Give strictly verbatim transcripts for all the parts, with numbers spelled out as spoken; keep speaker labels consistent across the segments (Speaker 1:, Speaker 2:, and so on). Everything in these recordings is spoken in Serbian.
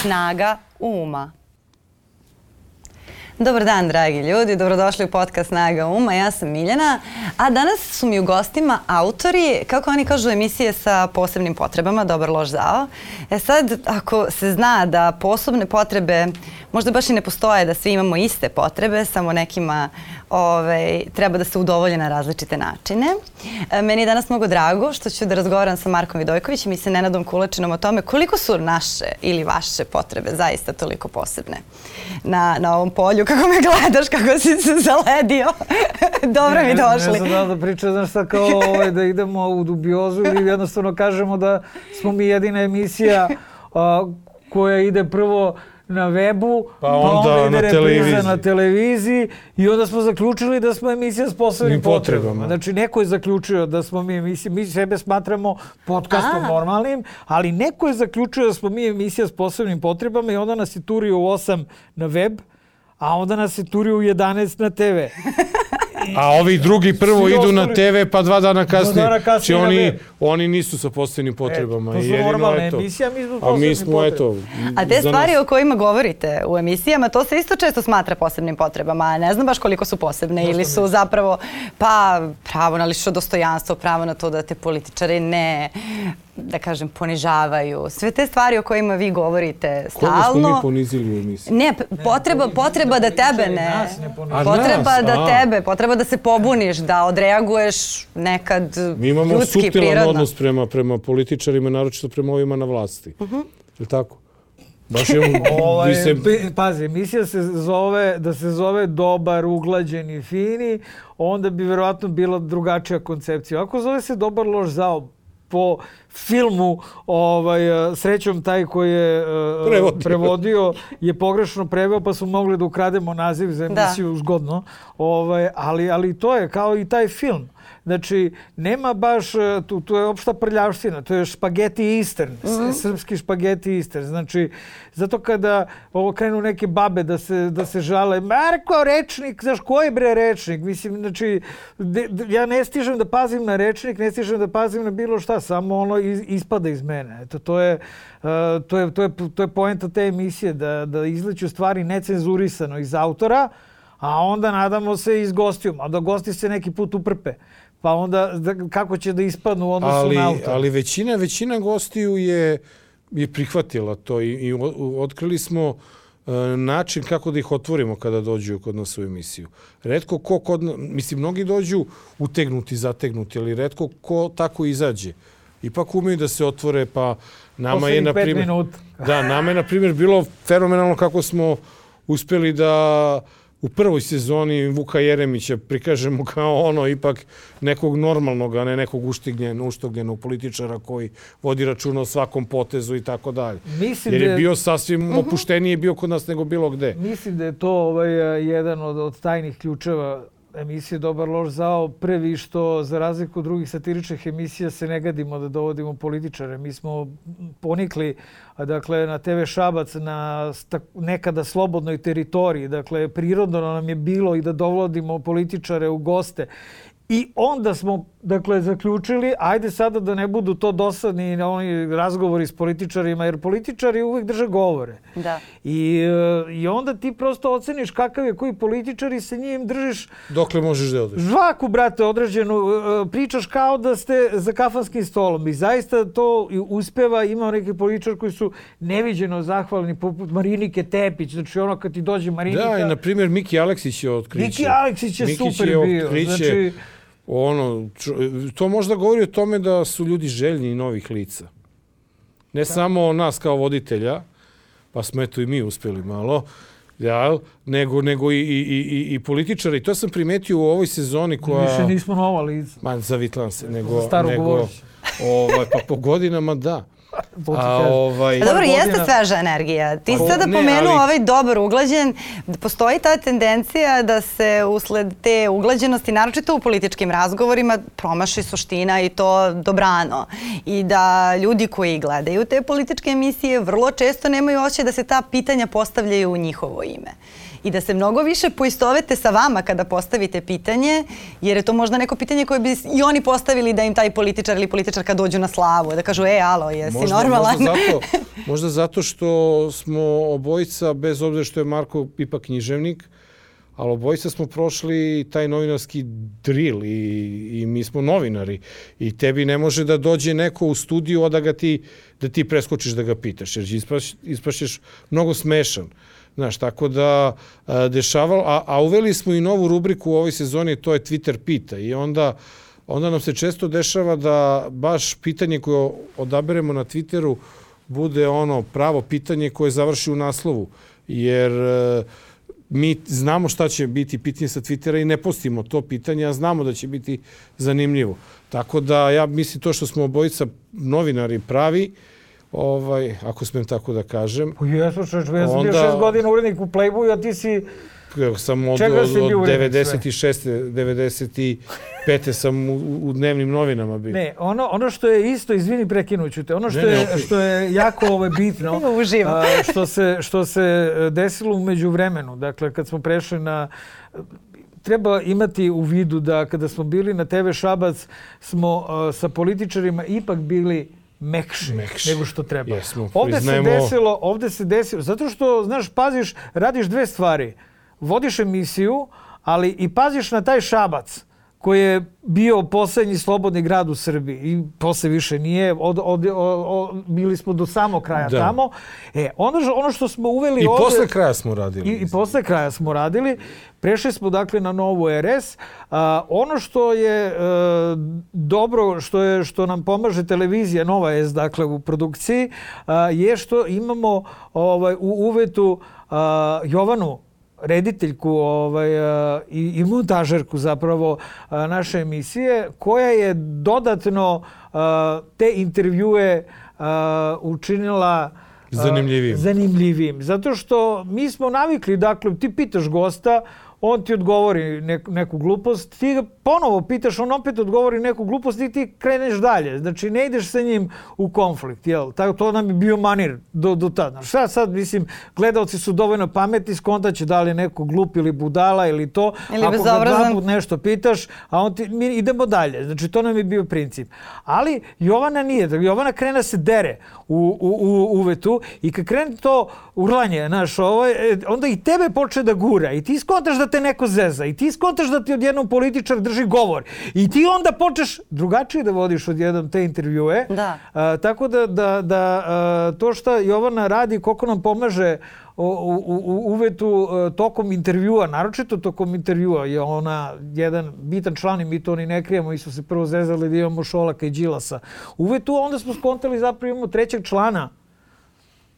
Speaker 1: Snaga uma. Dobar dan, dragi ljudi. Dobrodošli u podcast Snaga uma. Ja sam Miljana, a danas su mi u gostima autori, kako oni kažu, emisije sa posebnim potrebama, dobar, loš, zao. E sad, ako se zna da posebne potrebe možda baš i ne postoje, da svi imamo iste potrebe, samo nekima ovaj, treba da se udovolje na različite načine. E, meni je danas mnogo drago što ću da razgovaram sa Markom Vidojkovićem i sa Nenadom Kulačinom o tome koliko su naše ili vaše potrebe zaista toliko posebne na, na ovom polju. Kako me gledaš, kako si se zaledio. Dobro mi došli.
Speaker 2: Ne znam da da pričam, znaš šta, kao ovaj, da idemo u dubiozu ili jednostavno kažemo da smo mi jedina emisija a, koja ide prvo na webu,
Speaker 3: pa onda,
Speaker 2: pa onda ide
Speaker 3: na televiziji.
Speaker 2: na televiziji i onda smo zaključili da smo emisija s posebnim potrebama. potrebama. Znači, neko je zaključio da smo mi emisija, mi sebe smatramo podcastom A. normalnim, ali neko je zaključio da smo mi emisija s posebnim potrebama i onda nas je turio u osam na web, a onda nas je turio u jedanaest na te ve.
Speaker 3: A ovi drugi prvo idu na te ve, pa dva dana kasnije.
Speaker 2: Dana kasnije
Speaker 3: oni,
Speaker 2: web.
Speaker 3: oni nisu sa posebnim potrebama.
Speaker 2: E, to su
Speaker 3: jedino,
Speaker 2: normalne
Speaker 3: eto,
Speaker 2: emisije, a mi smo s
Speaker 3: a mi
Speaker 2: posebnim
Speaker 3: smo,
Speaker 2: potrebama.
Speaker 3: eto,
Speaker 1: A te stvari nas... o kojima govorite u emisijama, to se isto često smatra posebnim potrebama. Ne znam baš koliko su posebne. Zašto ili su mi? Zapravo pa pravo na lično dostojanstvo, pravo na to da te političari ne, da kažem, ponižavaju. Sve te stvari o kojima vi govorite stalno.
Speaker 3: Koga smo mi ponizili u emisiji?
Speaker 1: Ne, potreba, potreba da tebe ne... Potreba da tebe, potreba da se pobuniš, da odreaguješ nekad ljudski, prirodno.
Speaker 3: Mi imamo suptilan odnos prema, prema političarima, naročito prema ovima na vlasti. Uh-huh. Je li tako? Baš imamo...
Speaker 2: ovaj,
Speaker 3: se...
Speaker 2: Pazi, emisija se zove, da se zove Dobar, uglađen i fini, onda bi vjerovatno bila drugačija koncepcija. Ako zove se Dobar, loš, zao, po filmu, ovaj, srećom taj koji je uh, prevodio. prevodio je pogrešno preveo, pa smo mogli da ukrademo naziv za emisiju da. Zgodno. Ovaj, ali, ali to je kao i taj film. Znači, nema baš, tu, tu je opšta prljavština, to je špageti Eastern, mm-hmm. srpski špageti Eastern. Znači, zato kada ovo krenu neke babe da se, da se žale, Marko, rečnik, znaš, ko je bre rečnik? Mislim, znači, de, de, ja ne stižem da pazim na rečnik, ne stižem da pazim na bilo šta, samo ono iz, ispada iz mene. Eto, to je, uh, to je, to je, to je poenta te emisije, da, da izleću stvari necenzurisano iz autora, a onda nadamo se iz gostijuma, a da gosti se neki put uprpe. Pa onda da, kako će da ispadnu u odnosu
Speaker 3: ali,
Speaker 2: na autor.
Speaker 3: Ali većina, većina gostiju je, je prihvatila to i, i otkrili smo uh, način kako da ih otvorimo kada dođu kod nas u emisiju. Retko ko kod, mislim, mnogi dođu utegnuti, zategnuti, ali retko ko tako izađe. Ipak umeju da se otvore, pa nama
Speaker 2: Poslednji
Speaker 3: je, na primjer, da, nama je, na primjer, bilo fenomenalno kako smo uspjeli da u prvoj sezoni Vuka Jeremića prikažemo kao ono ipak nekog normalnog, a ne nekog uštigljenog, uštogljenog političara koji vodi računa o svakom potezu i tako dalje. Jer je bio sasvim opuštenije bio kod nas nego bilo gde.
Speaker 2: Mislim da je to ovaj, jedan od, od tajnih ključeva emisije Dobar, loš, zao. Prvi što, za razliku od drugih satiričnih emisija, se ne gadimo da dovodimo političare. Mi smo ponikli, dakle, na te ve Šabac, na nekada slobodnoj teritoriji. Dakle, prirodno nam je bilo i da dovodimo političare u goste. I onda smo, dakle, zaključili, ajde sada da ne budu to dosadni oni razgovori s političarima, jer političari uvijek drže govore.
Speaker 1: Da.
Speaker 2: I, i onda ti prosto oceniš kakav je koji političar i sa njim držiš...
Speaker 3: Dokle možeš da odeš?
Speaker 2: Žvaku, brate, određenu. Pričaš kao da ste za kafanskim stolom. I zaista to uspeva. Ima neki političar koji su neviđeno zahvalni, poput Marinike Tepić. Znači, ono kad ti dođe Marinika...
Speaker 3: Da, i na primjer Miki Aleksić je otkriće.
Speaker 2: Miki Aleksić je
Speaker 3: Miki
Speaker 2: super
Speaker 3: je
Speaker 2: bio. Znači,
Speaker 3: ono, to možda govori o tome da su ljudi željni novih lica. Ne da. Samo nas kao voditelja, pa smo eto i mi uspjeli malo, ja, nego, nego i, i, i, i političari. To sam primetio u ovoj sezoni koja...
Speaker 2: Više nismo nova lica.
Speaker 3: Man, zavitlam se. Nego,
Speaker 2: Staro
Speaker 3: nego, ovaj, pa po godinama da.
Speaker 2: A,
Speaker 3: ovaj,
Speaker 1: dobro, jeste sveža energija. Ti si sada pomenuo ali... ovaj dobar uglađen. Postoji ta tendencija da se usled te uglađenosti, naročito u političkim razgovorima, promaši suština i to dobrano. I da ljudi koji gledaju te političke emisije vrlo često nemaju osjećaj da se ta pitanja postavljaju u njihovo ime. I da se mnogo više poistovete sa vama kada postavite pitanje, jer je to možda neko pitanje koje bi i oni postavili da im taj političar ili političarka dođu na slavu, da kažu, e, alo, jesi
Speaker 3: možda,
Speaker 1: normalan?
Speaker 3: Možda zato, Možda zato što smo obojica, bez obzira što je Marko ipak književnik, ali obojica smo prošli taj novinarski drill i, i mi smo novinari. I tebi ne može da dođe neko u studiju, a da, ga ti, da ti preskočiš da ga pitaš, jer ispaš, ispašćeš mnogo smešan. Znaš, tako da a, dešavalo, a, a uveli smo i novu rubriku u ovoj sezoni, to je Twitter pita. I onda, onda nam se često dešava da baš pitanje koje odaberemo na Twitteru bude ono pravo pitanje koje završi u naslovu. Jer mi znamo šta će biti pitanje sa Twittera i ne postimo to pitanje, a znamo da će biti zanimljivo. Tako da ja mislim to što smo obojica novinari pravi, ovaj, ako smem tako da kažem.
Speaker 2: Pa jesu, češ, ja sam bio šest godina urednik u Playboyu, a ti si...
Speaker 3: Sam od, od, od devedeset šeste. devedeset pete sam u, u dnevnim novinama bio.
Speaker 2: Ne, ono, ono što je isto, izvini prekinuću te, ono što, ne, ne, je, okay. što je jako ovo bitno, a, što, se, što se desilo u međuvremenu, dakle kad smo prešli na... Treba imati u vidu da kada smo bili na te ve Šabac smo a, sa političarima ipak bili mekši, mekši nego što treba.
Speaker 3: Jesmo,
Speaker 2: ovde
Speaker 3: priznajemo...
Speaker 2: se desilo, ovde se desilo, zato što, znaš, paziš, radiš dve stvari. Vodiš emisiju, ali i paziš na taj Šabac koji je bio poslednji slobodni grad u Srbiji i posle više nije, od, od, od, od, bili smo do samog kraja da. tamo. E, ono, ono što smo uveli
Speaker 3: I
Speaker 2: ovde... I
Speaker 3: posle kraja smo radili.
Speaker 2: I, i posle kraja smo radili. Prešli smo dakle na novu er es. A, ono što je a, dobro, što, je, što nam pomaže televizija Nova es, dakle u produkciji, a, je što imamo ovaj, u uvetu a, Jovanu, rediteljku ovaj, a, i, i montažerku zapravo a, naše emisije, koja je dodatno a, te intervjue a, učinila
Speaker 3: zanimljivim.
Speaker 2: zanimljivim. Zato što mi smo navikli, dakle, ti pitaš gosta, on ti odgovori neku, neku glupost, ti ga ponovo pitaš, on opet odgovori neku glupost i ti kreneš dalje. Znači, ne ideš sa njim u konflikt, jel? Tako, to nam je bio manir do, do tada. Šta sad, mislim, gledalci su dovoljno pametni, skontaće da li je neko glup ili budala ili to.
Speaker 1: Ili
Speaker 2: ako ga dva put nešto pitaš, a on ti, mi idemo dalje. Znači, to nam je bio princip. Ali Jovana nije. Jovana krene se dere u, u, u uvetu i kad krene to urlanje, znaš, ovaj, onda i tebe počne da gura i ti skontaš da te neko zeza i ti skontaš da ti odjednom političar drži govor i ti onda počneš drugačije da vodiš odjednom te intervjue.
Speaker 1: Da.
Speaker 2: A, tako da, da, da a, to što Jovana radi, koliko nam pomaže u, u, u uvetu a, tokom intervjua, naročito tokom intervjua, je ona jedan bitan član i mi to ni ne krijemo, mi smo se prvo zezali da imamo Šolaka i Đilasa. Uvetu onda smo skontali zapravo imamo trećeg člana,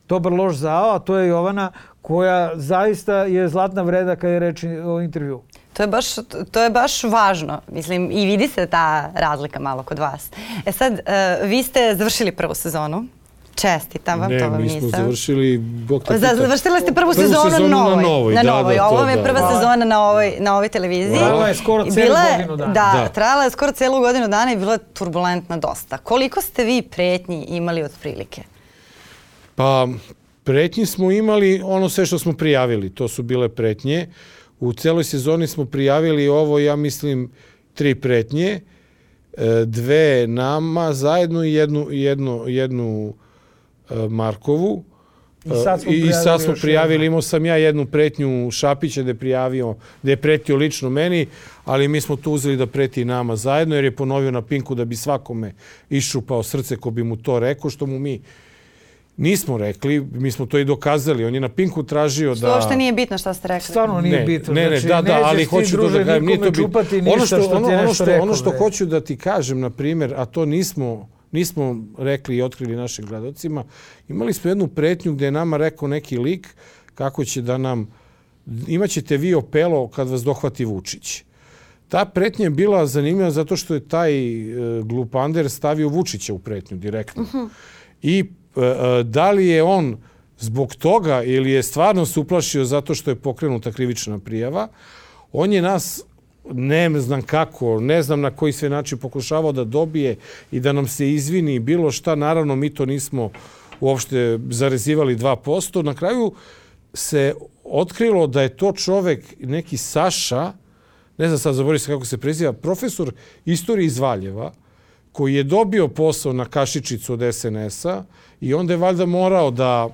Speaker 2: dobar loš zao, a to je Jovana koja zaista je zlatna vreda kad je reč o intervju.
Speaker 1: To je baš, to je baš važno. Mislim, i vidi se ta razlika malo kod vas. E sad, uh, vi ste završili prvu sezonu. Čestitam vam,
Speaker 3: ne,
Speaker 1: to vam nisam.
Speaker 3: Ne, mi smo završili... Bog te
Speaker 1: pita. Završili ste prvu, prvu sezonu, sezonu na novoj. Na novoj, na novoj. Da, da, ovo je prva da. sezona na ovoj, na ovoj televiziji.
Speaker 2: Trajala je skoro celu godinu dana.
Speaker 1: Da, da, trajala je skoro celu godinu dana i bila je turbulentna dosta. Koliko ste vi pretnji imali od prilike?
Speaker 3: Pa, pretnji smo imali ono sve što smo prijavili. To su bile pretnje. U celoj sezoni smo prijavili ovo, ja mislim, tri pretnje. Dve nama zajedno i jednu, jednu, jednu Markovu.
Speaker 2: I sad smo
Speaker 3: I
Speaker 2: prijavili,
Speaker 3: sad smo prijavili imao sam ja jednu pretnju Šapića da je prijavio, da je pretio lično meni, ali mi smo tu uzeli da preti nama zajedno, jer je ponovio na Pinku da bi svakome iščupao srce ko bi mu to rekao, što mu mi nismo rekli, mi smo to i dokazali. On je na Pinku tražio da...
Speaker 1: Što uopšte nije bitno što ste rekli.
Speaker 2: Stvarno nije
Speaker 3: ne,
Speaker 2: bitno.
Speaker 3: Ne, ne,
Speaker 2: znači,
Speaker 3: da, da, ali hoću to da kažem.
Speaker 2: Nije to čupati ništa ono što, što ti je
Speaker 3: ono
Speaker 2: nešto
Speaker 3: što,
Speaker 2: rekao.
Speaker 3: ono što hoću da ti kažem, na primjer, a to nismo, nismo rekli i otkrili našim gledalcima, imali smo jednu pretnju gdje je nama rekao neki lik kako će da nam... Imaćete vi opelo kad vas dohvati Vučić. Ta pretnja je bila zanimljiva zato što je taj e, glupander stavio Vučića u pretnju direktno. Uh-huh. I da li je on zbog toga ili je stvarno se uplašio zato što je pokrenuta krivična prijava, on je nas, ne znam kako, ne znam na koji sve način pokušavao da dobije i da nam se izvini bilo šta. Naravno, mi to nismo uopšte zarezivali dva posto. Na kraju se otkrilo da je to čovek, neki Saša, ne znam sad, zaboravim se kako se preziva, profesor istorije iz Valjeva, koji je dobio posao na kašičicu od es en es-a i onda je valjda morao da...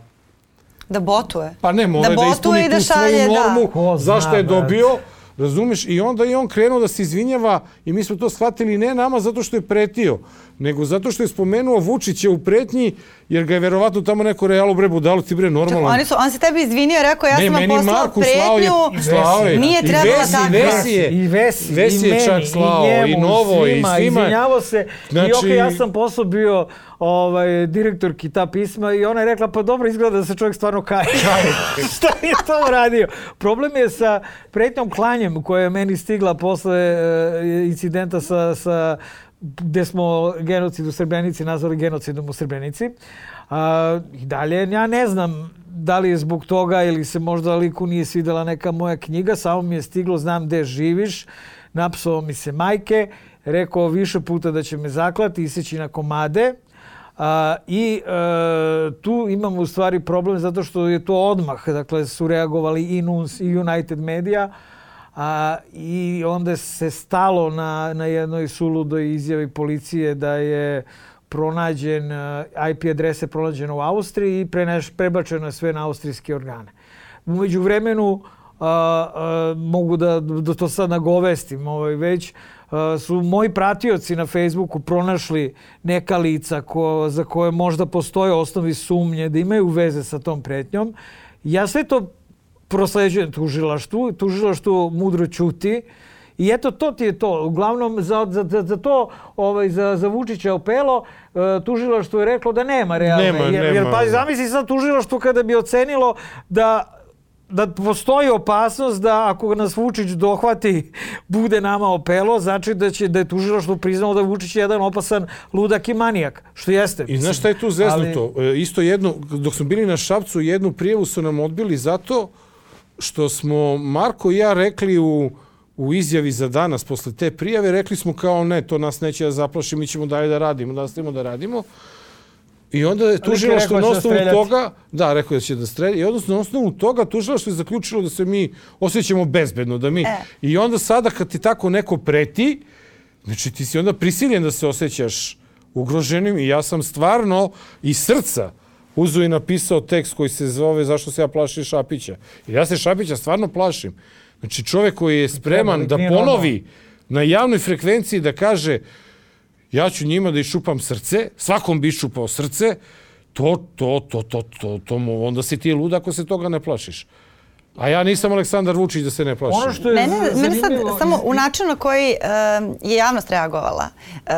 Speaker 1: Da botuje.
Speaker 3: Pa ne, mora da, da ispuni tu svoju normu, zašto je dobio, razumiješ? I onda je on krenuo da se izvinjava i mi smo to shvatili ne nama zato što je pretio, nego zato što je spomenuo Vučića u pretnji, jer ga je verovatno tamo neko realu bre budalo, ti bre normalno.
Speaker 1: Oni su, on se tebi izvinio, rekao ja ne, sam vam poslao pretnju,
Speaker 3: slao je,
Speaker 1: nije trebalo tako.
Speaker 3: I Vesi je,
Speaker 2: i Vesi,
Speaker 3: Vesi
Speaker 2: i
Speaker 3: je čak slao,
Speaker 2: i, njemu,
Speaker 3: i Novo,
Speaker 2: svima,
Speaker 3: i svima.
Speaker 2: Izvinjavo se,
Speaker 3: znači...
Speaker 2: i okej, okay, ja sam posao bio ovaj, direktorki ta pisma i ona je rekla, pa dobro izgleda da se čovjek stvarno kaje. Šta je to uradio? Problem je sa pretnjom klanjem koja je meni stigla posle uh, incidenta sa, sa gde smo genocid u Srebrenici nazvali genocidom u Srebrenici. A, i dalje, ja ne znam da li je zbog toga ili se možda liku nije svidela neka moja knjiga, samo mi je stiglo, znam gde živiš, napsao mi se majke, rekao više puta da će me zaklati, iseći na komade. A, I e, tu imamo u stvari problem zato što je to odmah, dakle su reagovali i N U N S i United Media, a, i onda se stalo na, na jednoj suludoj izjavi policije da je pronađen, I P adrese pronađeno u Austriji i preneš, prebačeno je sve na austrijske organe. Umeđu vremenu, a, a, mogu da, da to sad nagovestim, ovaj, već a, su moji pratioci na Facebooku pronašli neka lica ko, za koje možda postoje osnovi sumnje da imaju veze sa tom pretnjom. Ja sve to prosleđujem tužilaštvu, tužilaštvo mudro ćuti. I eto, to ti je to. Uglavnom, za, za, za to, ovaj, za, za Vučića opelo, tužilaštvo je reklo da nema realne.
Speaker 3: Nema,
Speaker 2: jer,
Speaker 3: nema.
Speaker 2: jer pa zamisli sad tužilaštvo kada bi ocenilo da, da postoji opasnost da ako nas Vučić dohvati, bude nama opelo, znači da, će, da je tužilaštvo priznalo da je Vučić jedan opasan ludak i manijak. Što jeste.
Speaker 3: I znaš šta je tu zeznuto? Ali... Isto jedno, dok smo bili na Šapcu, jednu prijavu su nam odbili zato što smo Marko i ja rekli u u izjavi za danas, posle te prijave, rekli smo kao ne, to nas neće da zaplaši, mi ćemo dalje da radimo, da nastavimo da radimo. I onda je tužilaštvo na osnovu toga, da, rekao je da će da strelja, i odnosno na osnovu toga tužilaštvo je zaključilo da se mi osjećamo bezbedno, da mi... E. I onda sada kad ti tako neko preti, znači ti si onda prisiljen da se osjećaš ugroženim i ja sam stvarno iz srca uzeo i napisao tekst koji se zove Zašto se ja plašim Šapića. Jer ja se Šapića stvarno plašim. Znači čovjek koji je spreman da ponovi na javnoj frekvenciji da kaže ja ću njima da iščupam srce, svakom bi iščupao srce, to, to, to, to, to, to, onda si ti lud ako se toga ne plašiš. A ja nisam Aleksandar Vučić da se ne plašim.
Speaker 2: Ono što je
Speaker 1: ne, ne, mene sad samo u načinu na koji uh, je javnost reagovala. Uh,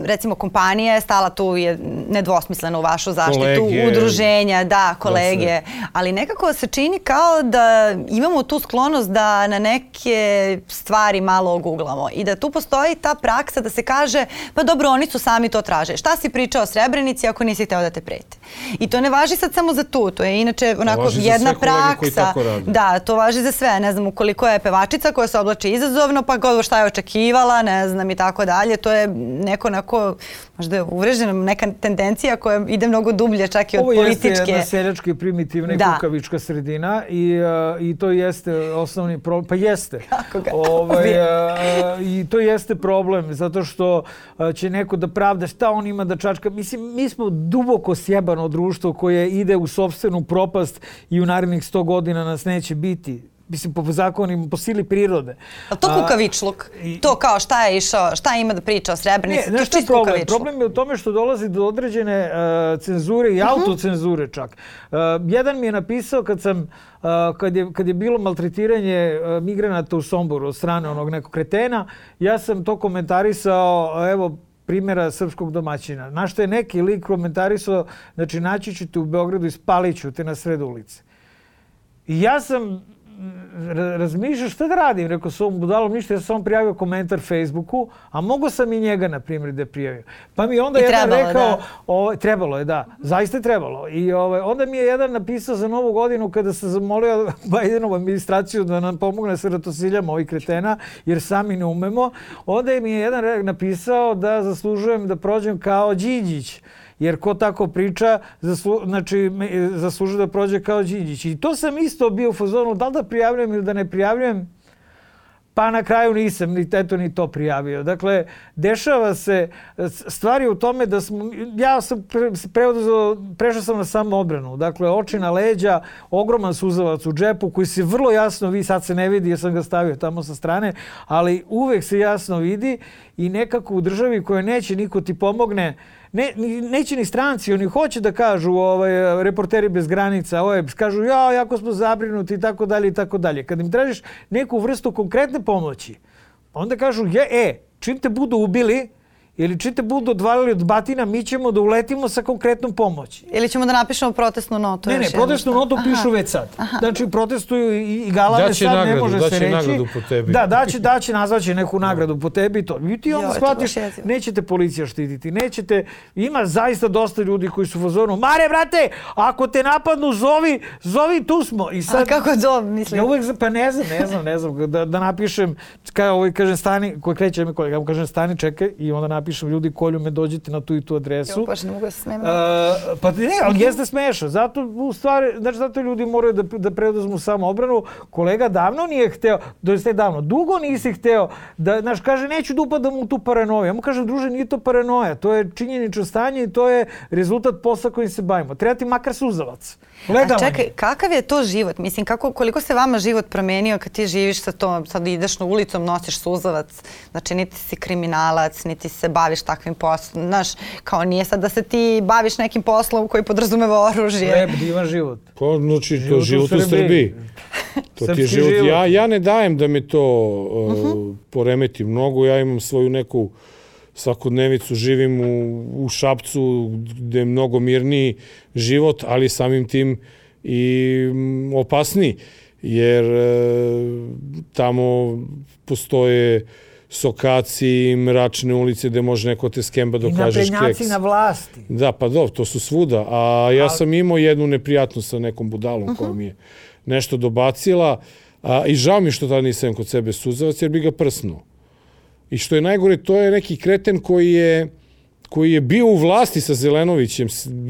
Speaker 1: recimo kompanija je stala tu je nedvosmisleno u vašu zaštitu, kolege, udruženja, da, kolege, da se... ali nekako se čini kao da imamo tu sklonost da na neke stvari malo oguglamo i da tu postoji ta praksa da se kaže pa dobro, oni su sami to traže. Šta si pričao o Srebrenici ako nisi hteo da te prete? I to ne važi sad samo za tu, to je inače onako jedna praksa. Da, to važi za sve. Ne znam, ukoliko je pevačica koja se oblači izazovno, pa god šta je očekivala, ne znam i tako dalje. To je neko onako, možda je uvrežena neka tendencija koja ide mnogo dublje čak i od političke.
Speaker 2: Ovo jeste jedna seljačka i primitivna i kukavička sredina i, uh, i to jeste osnovni problem. Pa jeste.
Speaker 1: Kako ga
Speaker 2: ovaj, uh, I to jeste problem, zato što uh, će neko da pravda šta on ima da čačka. Mislim, mi smo duboko sjebano društvo koje ide u sopstvenu propast i u narednih sto godina nas neće biti. Mislim, po zakonima, po sili prirode.
Speaker 1: A to kukavičluk? A, to kao šta je išao, šta ima da priča o Srebrenici?
Speaker 2: Ne, nešto je problem. Problem je u tome što dolazi do određene uh, cenzure i uh-huh. autocenzure čak. Uh, jedan mi je napisao kad sam, uh, kad, je, kad je bilo maltretiranje uh, migranata u Somboru od strane onog nekog kretena, ja sam to komentarisao, evo, primjera srpskog domaćina. Na što je neki lik komentarisao, znači naći ću te u Beogradu i spalit ću te na sred ulice. I ja sam razmišljao šta da radim, rekao s ovom budalom ništa, ja sam samo prijavio komentar Facebooku, a mogo sam i njega, na primjer, da prijavio. Pa mi onda I jedan trebalo, rekao, da. O, trebalo je, da, zaista je trebalo. I ovaj, onda mi je jedan napisao za Novu godinu kada sam zamolio Bajdenovu administraciju da nam pomogne sa ratosiljama ovih kretena, jer sami ne umemo. Onda mi je jedan napisao da zaslužujem da prođem kao Đinđić. Jer ko tako priča, zaslu, znači, zaslužuje da prođe kao Đinđić. I to sam isto bio u fazonu, da li da prijavljujem ili da ne prijavljujem. pa na kraju nisam ni, eto, ni to prijavio. Dakle, dešava se stvari u tome da smo, ja sam pre, preoduzeo, prešao sam na samoodbranu. Dakle, oči na leđa, ogroman suzavac u džepu koji se vrlo jasno vidi, sad se ne vidi jer sam ga stavio tamo sa strane, ali uvek se jasno vidi i nekako u državi koja neće niko ti pomogne, Ne, neće ni stranci, oni hoće da kažu ovaj, reporteri bez granica, ovaj, kažu ja, jako smo zabrinuti i tako dalje i tako dalje. Kad im tražiš neku vrstu konkretne pomoći, onda kažu je, e, čim te budu ubili ili čim te budu odvalili od batina, mi ćemo da uletimo sa konkretnom pomoći.
Speaker 1: Ili ćemo da napišemo protestnu notu.
Speaker 2: Ne, ne, protestnu notu pišu već sad. Aha. Znači, protestuju i, i galame sad,
Speaker 3: nagradu,
Speaker 2: ne može se reći.
Speaker 3: Daće nagradu po tebi.
Speaker 2: Da, daće, daće, nazvaće neku nagradu po tebi i to. I ti onda jo, shvatiš, nećete policija štititi, nećete, ima zaista dosta ljudi koji su u fazonu, Mare, brate, ako te napadnu, zovi, zovi, tu smo. I sad,
Speaker 1: a kako to mislim?
Speaker 2: Ja uvek, pa ne znam, ne znam, ne znam, da, da napišem, kao ovaj, kažem, stani, koji kreće mi kolega, kažem, stani, čekaj, i onda napišem, ljudi, kolju me, dođite na tu i tu adresu.
Speaker 1: Jo, baš ne mogu da se smem. Uh,
Speaker 2: pa ne, ali jeste smešno. Zato, u stvari, znači, zato ljudi moraju da, da preduzmu samo obranu. Kolega davno nije hteo, doista je davno, dugo nisi hteo, da, znaš, kaže, neću da upadam u tu paranoju. Ja mu kažem, druže, nije to paranoja, to je činjenično stanje i to je rezultat posla kojim se bavimo. Treba ti makar suzavac.
Speaker 1: A čekaj, kakav je to život? Mislim, kako, koliko se vama život promenio kad ti živiš sa tom, sad ideš na ulicom, nosiš suzavac, znači niti si kriminalac, niti se baviš takvim poslom, znaš, kao nije sad da se ti baviš nekim poslom koji podrazumeva oružje.
Speaker 2: Lep, divan život.
Speaker 3: Pa, znači, to život u Srbiji. To ti je život. život. Ja, ja ne dajem da me to uh, uh-huh. poremeti mnogo, ja imam svoju neku svakodnevicu, živim u, u Šapcu gde je mnogo mirniji život, ali samim tim i opasniji, jer e, tamo postoje sokaci, mračne ulice gde može neko te skemba dok kažeš keks. I
Speaker 2: naprednjaci na vlasti.
Speaker 3: Da, pa dobro, to su svuda. A ja sam imao jednu neprijatnost sa nekom budalom uh-huh. koja mi je nešto dobacila a, i žao mi što tada nisam kod sebe suzavac jer bi ga prsnuo. I što je najgore, to je neki kreten koji je, koji je bio u vlasti sa Zelenovićem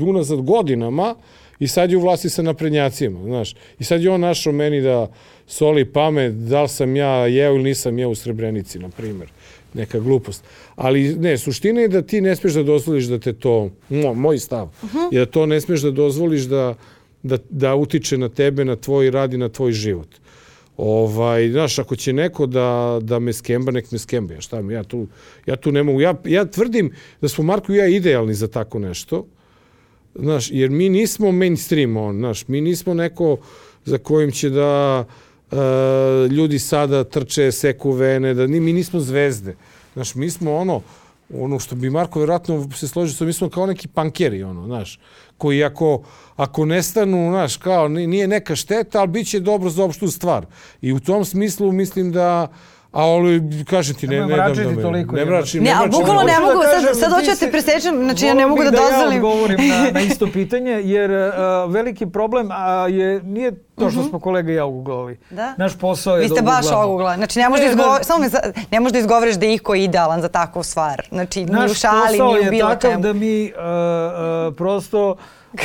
Speaker 3: unazad godinama i sad je u vlasti sa naprednjacima, znaš. I sad je on našao meni da soli pamet, da li sam ja jeo ili nisam jeo u Srebrenici, na primjer. Neka glupost. Ali ne, suština je da ti ne smiješ da dozvoliš da te to, mo, moj stav, uh-huh. je da to ne smiješ da dozvoliš da, da, da utiče na tebe, na tvoj rad i na tvoj život. Ovaj, znaš, ako će neko da, da me skemba, nek me skemba. Ja, šta mi, ja, tu, ja tu ne mogu. Ja, ja tvrdim da smo Marko i ja idealni za tako nešto. Znaš, jer mi nismo mainstream, on, znaš, mi nismo neko za kojim će da uh, ljudi sada trče, seku vene, da ni, mi nismo zvezde. Znaš, mi smo ono, ono što bi Marko vjerojatno se složio, mi smo kao neki pankeri, ono, znaš, koji ako, ako nestanu, znaš, kao, nije neka šteta, ali bit će dobro za opštu stvar. I u tom smislu mislim da, a ali, kažem ti, ne, ne dam da me...
Speaker 2: Toliko,
Speaker 3: ne mračim,
Speaker 1: ne,
Speaker 3: ne
Speaker 1: ali bukvalno ne mogu, sad, sad hoću da te presečem, znači ja ne mogu da dozvolim.
Speaker 2: Ja odgovorim na, na isto pitanje, jer uh, veliki problem a, je, nije to što smo kolega i ja uguglali. Da? Naš posao je
Speaker 1: vi ste
Speaker 2: da
Speaker 1: baš oguglali. Znači ne možeš da, izgovor, samo me, ne možeš da izgovoriš da je iko idealan za takvu stvar. Znači ni u šali, ni u bilo čemu.
Speaker 2: Naš posao je takav da mi uh, uh, prosto uh,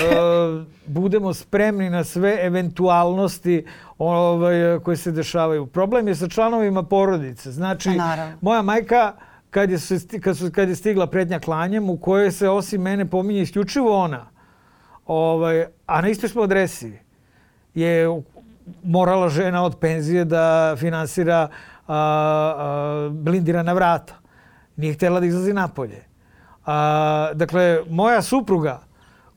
Speaker 2: budemo spremni na sve eventualnosti ovaj, koje se dešavaju. Problem je sa članovima porodice. Znači, moja majka, kad je, kad, su, kad je stigla pretnja klanjem, u kojoj se osim mene pominje isključivo ona, ovaj, a na istoj smo adresi, je morala žena od penzije da finansira a, a, blindirana vrata. Nije htjela da izlazi napolje. A, dakle, moja supruga,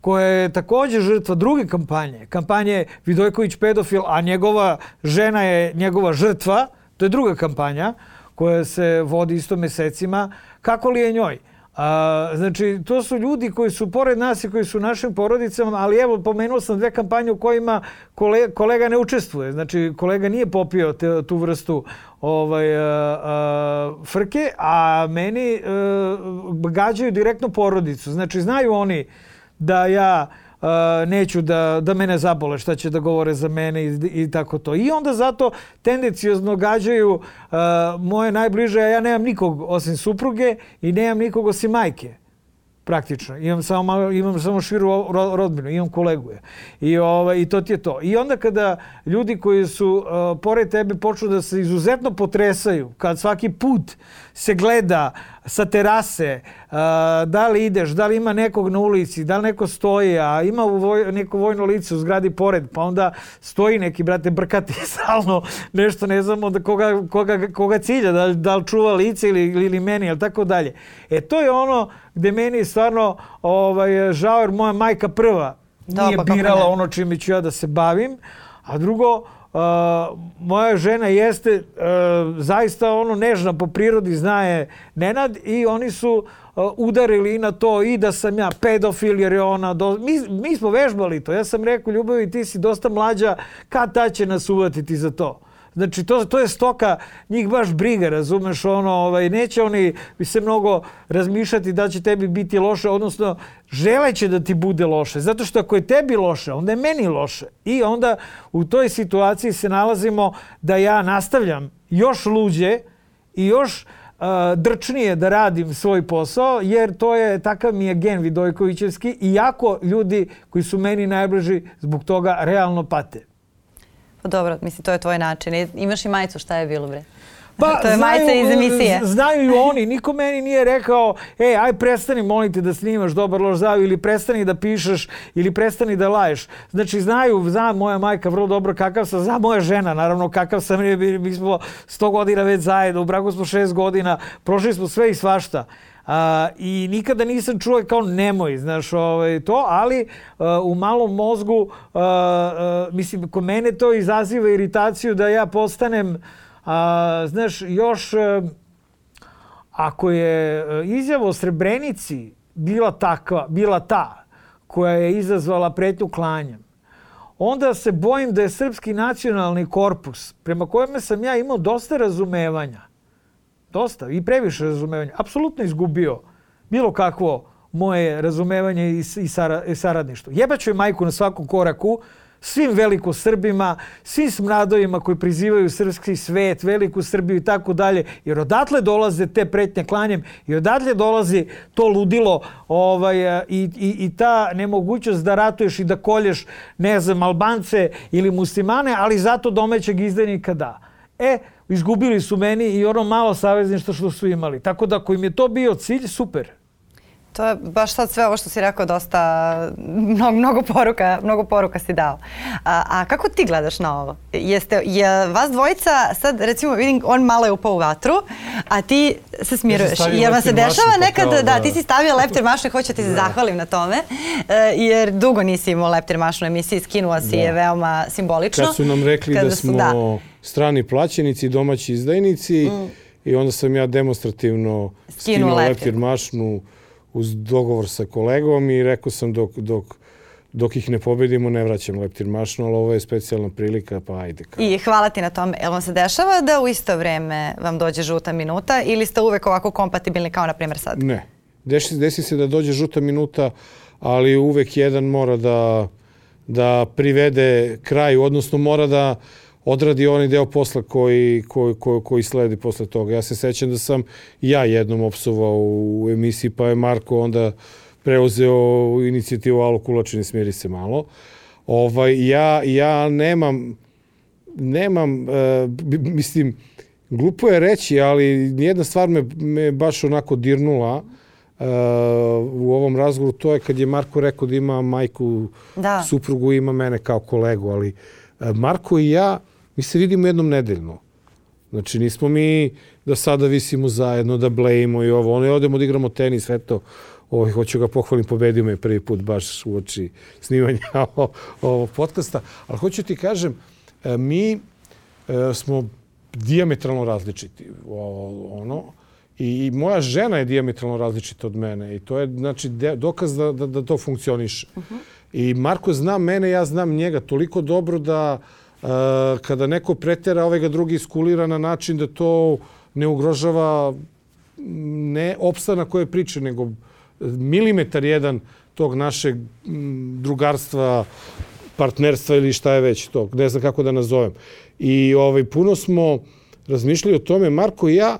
Speaker 2: koja je također žrtva druge kampanje, kampanje Vidojković pedofil, a njegova žena je njegova žrtva, to je druga kampanja koja se vodi isto mjesecima, kako li je njoj? A, znači, to su ljudi koji su pored nas i koji su u našim porodicama, ali evo, pomenuo sam dve kampanje u kojima kolega, kolega ne učestvuje. Znači, kolega nije popio te, tu vrstu ovaj, a, a, frke, a meni a, gađaju direktno porodicu. Znači, znaju oni da ja uh, neću da, da mene zabole šta će da govore za mene i, i tako to. I onda zato tendenciozno gađaju uh, moje najbliže, a ja nemam nikog osim supruge i nemam nikog osim majke. praktično. Imam samo, malo, imam samo širu rodbinu, imam kolegu. I, ovaj, I to ti je to. I onda kada ljudi koji su uh, pored tebe počnu da se izuzetno potresaju, kad svaki put se gleda sa terase, uh, da li ideš, da li ima nekog na ulici, da li neko stoji, a ima voj, neko vojno lice u zgradi pored, pa onda stoji neki, brate, brkati stalno nešto, ne znamo da koga, koga, koga cilja, da, da li čuva lice ili, ili meni, ili tako dalje. E, to je ono gde meni stvarno ovaj, žao, jer moja majka prva nije
Speaker 1: da, pa
Speaker 2: birala ono čime ću ja da se bavim, a drugo, uh, moja žena jeste uh, zaista ono nežna po prirodi, zna je Nenad, i oni su uh, udarili i na to i da sam ja pedofil, jer je ona... Do... Mi, mi smo vežbali to. Ja sam rekao, Ljubavi, ti si dosta mlađa, kad ta će nas uvatiti za to? Znači, to, to je stoka, njih baš briga, razumeš, ono, ovaj, neće oni se mnogo razmišljati da će tebi biti loše, odnosno želeće da ti bude loše, zato što ako je tebi loše, onda je meni loše. I onda u toj situaciji se nalazimo da ja nastavljam još luđe i još uh, drčnije da radim svoj posao, jer to je, takav mi je gen Vidojkovićevski, iako ljudi koji su meni najbliži zbog toga realno pate.
Speaker 1: Dobro, mislim, to je tvoj način. Imaš i majicu, šta je bilo, bre?
Speaker 2: Pa,
Speaker 1: to je majica iz emisije.
Speaker 2: Znaju i oni. Niko meni nije rekao, ej, aj prestani, molim te, da snimaš Dobar loš zao, ili prestani da pišeš, ili prestani da laješ. Znači, znaju, zna moja majka vrlo dobro kakav sam, zna moja žena, naravno, kakav sam. Mi smo sto godina već zajedno, u braku smo šest godina, prošli smo sve i svašta. Uh, I nikada nisam čuo kao nemoj, znaš, ovaj, to, ali uh, u malom mozgu, uh, uh, mislim, kod mene to izaziva iritaciju da ja postanem, uh, znaš, još, uh, ako je izjava o Srebrenici bila takva, bila ta koja je izazvala pretnju klanjem, onda se bojim da je Srpski nacionalni korpus, prema kojem sam ja imao dosta razumevanja, dosta i previše razumevanja, apsolutno izgubio bilo kakvo moje razumevanje i, i, sara, i saradništvo. Jebaću je majku na svakom koraku, svim velikosrbima, svim smradovima koji prizivaju srpski svet, veliku Srbiju i tako dalje, jer odatle dolaze te pretnje klanjem i odatle dolazi to ludilo ovaj, i, i, i ta nemogućnost da ratuješ i da kolješ, ne znam, Albance ili muslimane, ali zato domaćeg izdajnika da. E, izgubili su meni i ono malo savezništva što su imali. Tako da ako im je to bio cilj, super.
Speaker 1: To je baš sad sve ovo što si rekao, dosta, mnogo, mnogo poruka, mnogo poruka si dao. A, a kako ti gledaš na ovo? Jeste, je vas dvojica, sad recimo vidim, on malo je upao u vatru, a ti se smiruješ.
Speaker 3: Ja
Speaker 1: jer vam se dešava
Speaker 3: mašnu,
Speaker 1: nekad,
Speaker 3: kao,
Speaker 1: da,
Speaker 3: da,
Speaker 1: ti si stavio leptir mašnu i hoću ti se da. zahvalim na tome, jer dugo nisi imao leptir mašnu u emisiji, skinuo si da. je veoma simbolično.
Speaker 3: Kad su nam rekli da smo da. strani plaćenici, domaći izdajnici, mm. i onda sam ja demonstrativno skinuo, skinuo leptir mašnu uz dogovor sa kolegom i rekao sam dok, dok, dok ih ne pobedimo ne vraćam leptir mašnu, ali ovo je specijalna prilika, pa ajde. Kao.
Speaker 1: I hvala ti na tome. Jel vam se dešava da u isto vreme vam dođe žuta minuta ili ste uvek ovako kompatibilni kao na primjer sad?
Speaker 3: Ne. Desi, desi se da dođe žuta minuta, ali uvek jedan mora da, da privede kraju, odnosno mora da odradi onaj deo posla koji, koji, koji, koji sledi posle toga. Ja se sećam da sam ja jednom opsovao u emisiji, pa je Marko onda preuzeo inicijativu Alo Kulačini, smiri se malo. Ovaj, ja, ja nemam, nemam e, mislim, glupo je reći, ali nijedna stvar me, me baš onako dirnula e, u ovom razgovoru. To je kad je Marko rekao da ima majku, da. suprugu, ima mene kao kolegu, ali e, Marko i ja mi se vidimo jednom nedeljno. Znači, nismo mi da sada visimo zajedno, da blejimo i ovo. Ono, odemo da igramo tenis, sve to. Ovo, hoću ga pohvalim, pobedio me prvi put baš u oči snimanja ovog podcasta. Ali hoću ti kažem, mi smo dijametralno različiti. Ono, i moja žena je dijametralno različita od mene. I to je, znači, dokaz da, da, da to funkcioniše. Uh-huh. I Marko zna mene, ja znam njega toliko dobro da Uh, kada neko pretera, ovaj ga drugi iskulira na način da to ne ugrožava ne opstanak koje priče, nego milimetar jedan tog našeg drugarstva, partnerstva ili šta je već to, ne znam kako da nazovem. I ovaj, puno smo razmišljali o tome, Marko i ja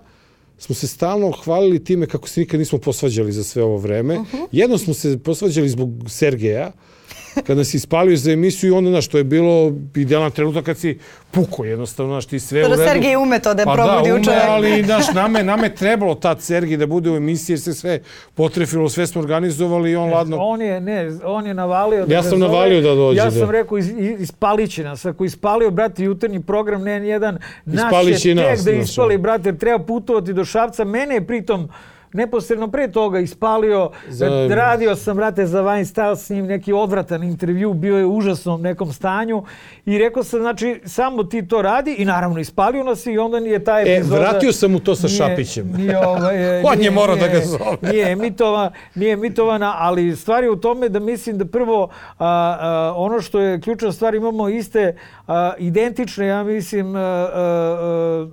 Speaker 3: smo se stalno hvalili time kako se nikad nismo posvađali za sve ovo vreme. Uh-huh. Jednom smo se posvađali zbog Sergeja, kad nas ispalio za emisiju i onda, znaš, to je bilo idealan trenutak kad si puko jednostavno, znaš, ti sve u redu.
Speaker 1: Sergej ume to da je
Speaker 3: pa
Speaker 1: probudi
Speaker 3: da,
Speaker 1: u čovjeku.
Speaker 3: ali, znaš, nama je, nama je trebalo tad Sergej da bude u emisiji jer se sve potrefilo, sve smo organizovali i on ne, ladno...
Speaker 2: On je, ne, on je navalio da
Speaker 3: ja sam navalio da dođe.
Speaker 2: Ja sam
Speaker 3: da.
Speaker 2: rekao, iz, ispalit će nas. Ako ispalio, brate, jutarnji program, ne jedan, naš
Speaker 3: je
Speaker 2: tek
Speaker 3: nas,
Speaker 2: da ispali, brate, jer treba putovati do Šapca. Mene je pritom neposredno pre toga ispalio, za... radio sam, brate, za Vine Style s njim neki odvratan intervju, bio je u užasnom nekom stanju i rekao sam, znači, samo ti to radi i naravno ispalio nas i onda nije ta epizoda...
Speaker 3: E, vratio sam mu to sa nije, Šapićem.
Speaker 2: Nije, ovaj,
Speaker 3: On
Speaker 2: nije,
Speaker 3: je morao
Speaker 2: nije,
Speaker 3: da ga zove.
Speaker 2: Nije emitovana, nije emitovana, ali stvar je u tome da mislim da prvo a, a, ono što je ključna stvar, imamo iste a, identične, ja mislim, a, a, a,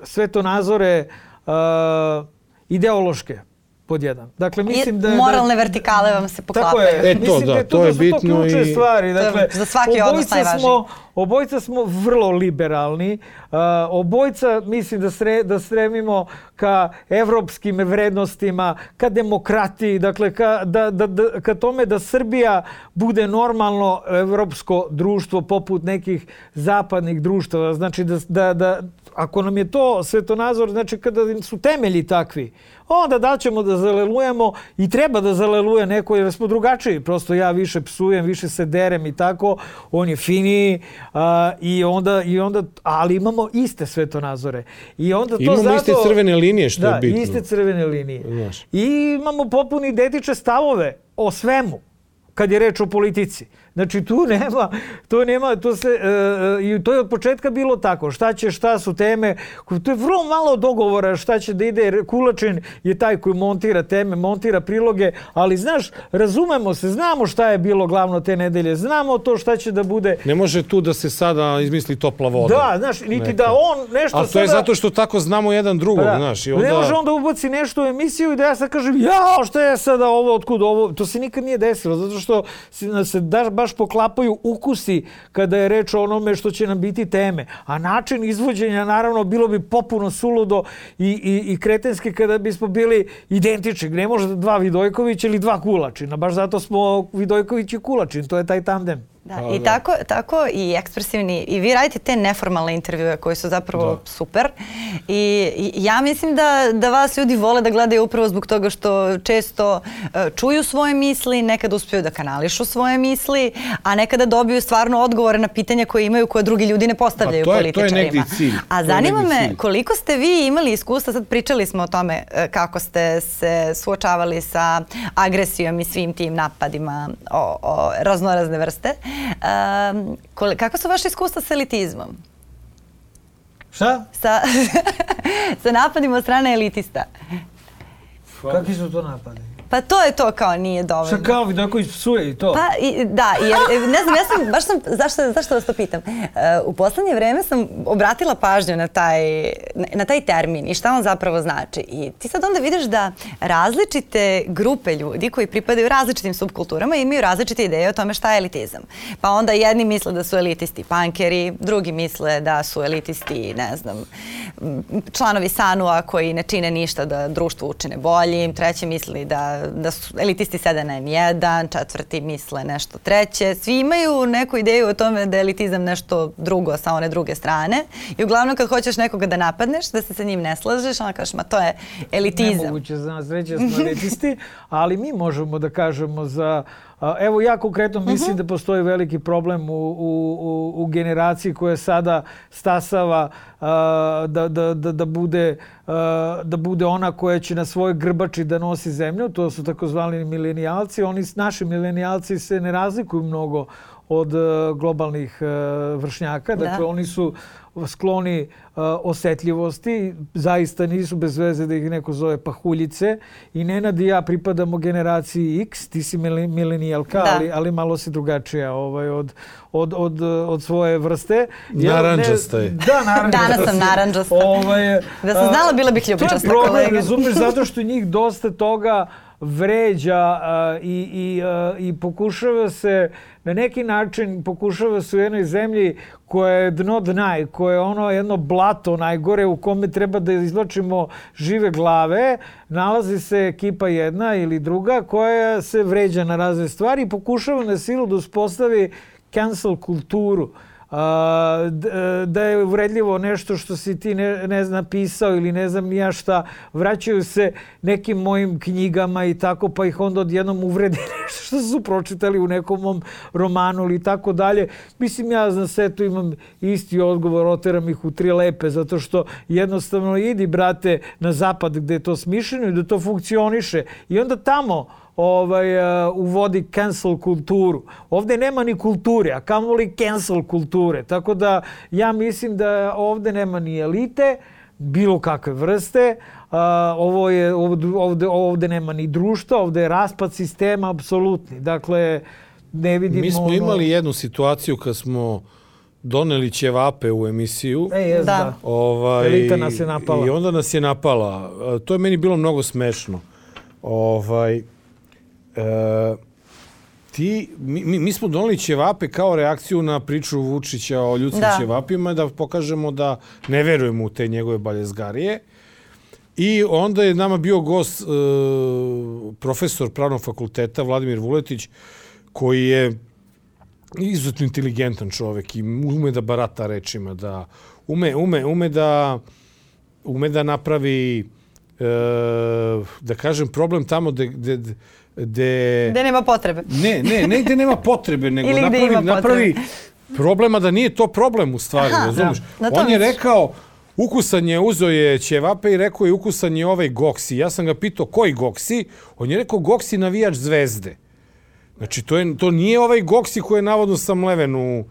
Speaker 2: svetonazore, a, ideološke, pod jedan. Dakle, mislim da...
Speaker 1: Moralne vertikale vam se poklapaju.
Speaker 2: Tako je.
Speaker 3: E, to,
Speaker 2: mislim
Speaker 3: da,
Speaker 2: da je to,
Speaker 3: to je
Speaker 2: da
Speaker 3: bitno
Speaker 2: su to ključne
Speaker 3: i...
Speaker 2: stvari. Dakle,
Speaker 1: za svaki odnos najvažniji.
Speaker 2: Smo, obojica smo vrlo liberalni. Uh, obojica, mislim da, sre, da stremimo ka evropskim vrednostima, ka demokratiji, dakle, ka, da, da, da, ka tome da Srbija bude normalno evropsko društvo poput nekih zapadnih društava. Znači, da, da, da ako nam je to svetonazor, znači kada su temelji takvi, onda da ćemo da zalelujemo i treba da zaleluje neko jer smo drugačiji. Prosto ja više psujem, više se derem i tako. On je finiji uh, i, onda, i onda, ali imamo iste svetonazore. I onda to
Speaker 3: imamo
Speaker 2: zato,
Speaker 3: iste crvene linije što
Speaker 2: da,
Speaker 3: je bitno.
Speaker 2: Da, iste crvene linije.
Speaker 3: Znaš.
Speaker 2: I imamo potpuno identične stavove o svemu kad je reč o politici. Znači tu nema, to nema, to se, e, i to je od početka bilo tako. Šta će, šta su teme, to je vrlo malo dogovora šta će da ide. Kulačin je taj koji montira teme, montira priloge, ali znaš, razumemo se, znamo šta je bilo glavno te nedelje, znamo to šta će da bude.
Speaker 3: Ne može tu da se sada izmisli topla voda.
Speaker 2: Da, znaš, niti neka. Da on nešto
Speaker 3: ali to sada... je zato što tako znamo jedan drugog, pa, znaš. I onda...
Speaker 2: Ne može onda ubaci nešto u emisiju i da ja sad kažem, jao, šta je sada ovo, otkud ovo, to se nikad nije desilo, zato što se da, baš poklapaju ukusi kada je reč o onome što će nam biti teme. A način izvođenja, naravno, bilo bi popuno suludo i, i, i kretenski kada bismo bili identični. Ne može dva Vidojkovića ili dva Kulačina. Baš zato smo Vidojković i Kulačin. To je taj tandem.
Speaker 1: Da, i tako, tako i ekspresivni. I vi radite te neformalne intervjue koji su zapravo da. super. I, I ja mislim da, da vas ljudi vole da gledaju upravo zbog toga što često uh, čuju svoje misli, nekada uspiju da kanališu svoje misli, a nekada dobiju stvarno odgovore na pitanja koje imaju koje drugi ljudi ne postavljaju
Speaker 3: je,
Speaker 1: političarima.
Speaker 3: To je negdje cilj.
Speaker 1: A zanima me cilj. Koliko ste vi imali iskustva, sad pričali smo o tome kako ste se suočavali sa agresijom i svim tim napadima o, o raznorazne vrste. Um, kako su vaše iskustva sa elitizmom?
Speaker 2: Šta?
Speaker 1: Sa, sa napadima od strane elitista.
Speaker 2: Kakvi su to napadi?
Speaker 1: Pa to je to kao nije dovoljno.
Speaker 2: Šta kao Vidojković psuje i to?
Speaker 1: Pa i, da, jer ne znam, ja sam, baš sam, zašto, zašto vas to pitam? Uh, u poslednje vreme sam obratila pažnju na taj, na taj termin i šta on zapravo znači. I ti sad onda vidiš da različite grupe ljudi koji pripadaju različitim subkulturama imaju različite ideje o tome šta je elitizam. Pa onda jedni misle da su elitisti pankeri, drugi misle da su elitisti, ne znam, članovi Sanua koji ne čine ništa da društvo učine boljim, treći misli da da su elitisti sede na en jedan, četvrti misle nešto treće. Svi imaju neku ideju o tome da je elitizam nešto drugo sa one druge strane. I uglavnom kad hoćeš nekoga da napadneš, da se sa njim ne slažeš, onda kažeš, ma to je elitizam.
Speaker 2: Nemoguće za nas reći da smo elitisti, ali mi možemo da kažemo za... Evo, ja konkretno mislim uh-huh. da postoji veliki problem u, u, u generaciji koja sada stasava uh, da, da, da, da, bude, uh, da bude ona koja će na svojoj grbači da nosi zemlju. To su takozvani milenijalci. Oni, naši milenijalci se ne razlikuju mnogo od uh, globalnih uh, vršnjaka. Dakle, da. Oni su skloni uh, osetljivosti, zaista nisu bez veze da ih neko zove pahuljice. I Nenad i ja pripadamo generaciji X, ti si milenijalka, ali, ali malo si drugačija ovaj, od, od, od, od svoje vrste.
Speaker 3: Naranđasta je.
Speaker 2: Da, naranđasta.
Speaker 1: Danas sam naranđasta.
Speaker 2: Ovaj,
Speaker 1: da sam znala, bila bih ljubičasta kolega.
Speaker 2: To je problem, razumiješ, zato što njih dosta toga vređa uh, i, i, uh, i pokušava se na neki način pokušava se u jednoj zemlji koja je dno dna i koja je ono jedno blato najgore u kome treba da izvlačimo žive glave, nalazi se ekipa jedna ili druga koja se vređa na razne stvari i pokušava na silu da uspostavi cancel kulturu. Uh, da je uvredljivo nešto što si ti ne, ne znam napisao ili ne znam ja šta, vraćaju se nekim mojim knjigama i tako, pa ih onda odjednom uvredi nešto što su pročitali u nekom mom romanu ili tako dalje. Mislim, ja na setu imam isti odgovor, oteram ih u tri lepe, zato što jednostavno idi, brate, na zapad gde je to smišljeno i da to funkcioniše. I onda tamo ovaj, uh, uvodi cancel kulturu. Ovde nema ni kulture, a kamoli cancel kulture. Tako da ja mislim da ovde nema ni elite, bilo kakve vrste. Uh, ovo je, ovde, ovde nema ni društva, ovde je raspad sistema apsolutni. Dakle, ne vidimo...
Speaker 3: Mi smo
Speaker 2: ono...
Speaker 3: imali jednu situaciju kad smo doneli ćevape u emisiju.
Speaker 2: E, jes, da.
Speaker 3: Ovaj,
Speaker 2: elita nas je napala.
Speaker 3: I onda nas je napala. To je meni bilo mnogo smešno. Ovaj... E, ti, mi, mi smo doneli ćevape kao reakciju na priču Vučića o ljudskim da. ćevapima, da pokažemo da ne verujemo u te njegove baljezgarije. I onda je nama bio gost e, profesor pravnog fakulteta Vladimir Vuletić, koji je izuzetno inteligentan čovek i ume da barata rečima, da ume, ume, ume da ume da napravi e, da kažem problem tamo gde, gde Gde...
Speaker 1: Gde nema potrebe.
Speaker 3: Ne, ne, ne gde nema potrebe, nego napravi, napravi problema da nije to problem u stvari,
Speaker 1: Aha,
Speaker 3: razumiješ?
Speaker 1: Da.
Speaker 3: On je rekao, ukusan je, uzeo je ćevape i rekao je ukusan je ovaj Goksi. Ja sam ga pitao koji Goksi? On je rekao Goksi navijač Zvezde. Znači, to, je, to nije ovaj Goksi koji je navodno samleven u,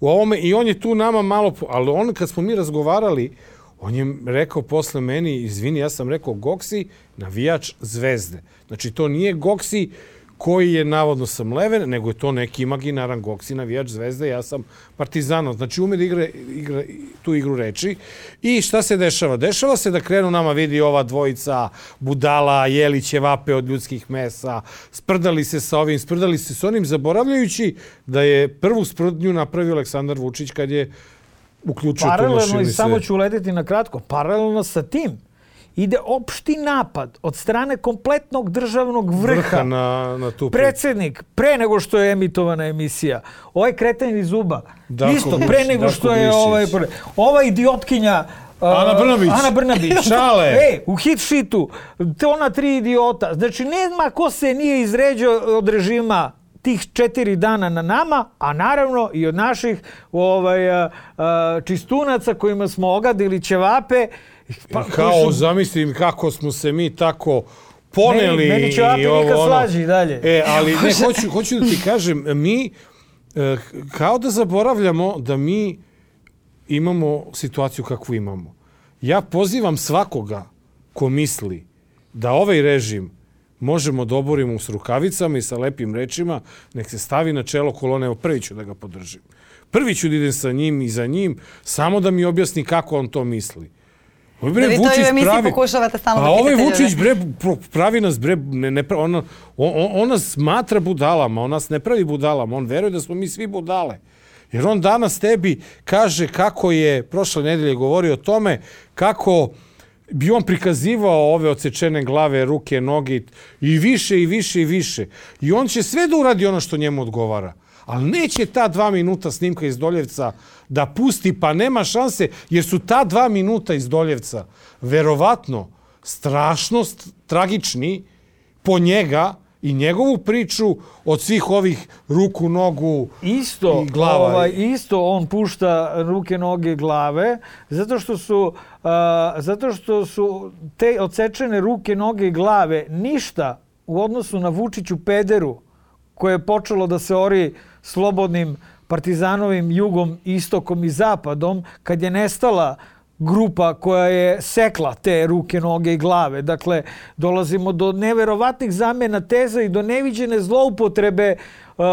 Speaker 3: u ovome i on je tu nama malo... Ali on, kad smo mi razgovarali, on je rekao posle meni, izvini, ja sam rekao Goksi, navijač Zvezde. Znači, to nije Goksi koji je navodno samleven, nego je to neki imaginaran Goksi, navijač Zvezde, ja sam Partizano. Znači, ume da igra, igra tu igru reči. I šta se dešava? Dešava se da krenu nama vidi ova dvojica budala, jeli ćevape od ljudskih mesa, sprdali se sa ovim, sprdali se sa onim, zaboravljajući da je prvu sprdnju napravio Aleksandar Vučić kad je uključio tu mašinu.
Speaker 2: Paralelno, i samo ću uletiti na kratko, paralelno sa tim ide opšti napad od strane kompletnog državnog vrha,
Speaker 3: vrha na, na tu
Speaker 2: predsjednik, pre nego što je emitovana emisija, ovaj kreten iz Zuba,
Speaker 3: Darko
Speaker 2: isto,
Speaker 3: Buš,
Speaker 2: pre nego
Speaker 3: Darko
Speaker 2: što je ovaj, ova idiotkinja uh,
Speaker 3: Ana Brnabić.
Speaker 2: Ana Brnabić.
Speaker 3: Šale.
Speaker 2: E, u hit šitu, te ona tri idiota. Znači, nema ko se nije izređao od režima tih četiri dana na nama, a naravno i od naših ovaj, a, a, čistunaca kojima smo ogadili ćevape.
Speaker 3: Pa, kao, su... zamislim kako smo se mi tako poneli.
Speaker 2: Meni, meni ćevapi nikad ono. Slađi dalje.
Speaker 3: E, ali ne, hoću, hoću da ti kažem, mi e, kao da zaboravljamo da mi imamo situaciju kakvu imamo. Ja pozivam svakoga ko misli da ovaj režim možemo da oborimo s rukavicama i sa lepim rečima, nek se stavi na čelo kolone, evo prvi ću da ga podržim. Prvi ću da idem sa njim i za njim, samo da mi objasni kako on to misli. Bre,
Speaker 1: da vi to
Speaker 3: Vučić
Speaker 1: u emisiji
Speaker 3: pravi,
Speaker 1: pokušavate stalno
Speaker 3: a
Speaker 1: da
Speaker 3: ovaj
Speaker 1: pitate
Speaker 3: Vučić bre, pravi nas, bre, ne, ne, on, on, on nas smatra budalama, on nas ne pravi budalama, on veruje da smo mi svi budale. Jer on danas tebi kaže kako je, prošle nedelje govorio o tome, kako bi on prikazivao ove odsečene glave, ruke, noge i više i više i više. I on će sve da uradi ono što njemu odgovara. Ali neće ta dva minuta snimka iz Doljevca da pusti, pa nema šanse, jer su ta dva minuta iz Doljevca verovatno strašno tragični po njega i njegovu priču od svih ovih ruku, nogu
Speaker 2: isto,
Speaker 3: i glava.
Speaker 2: Ovaj, isto on pušta ruke, noge, glave, zato što su, uh, zato što su te odsečene ruke, noge i glave ništa u odnosu na Vučiću pederu koje je počelo da se ori slobodnim partizanovim jugom, istokom i zapadom, kad je nestala grupa koja je sekla te ruke, noge i glave. Dakle, dolazimo do neverovatnih zamjena teza i do neviđene zloupotrebe Uh,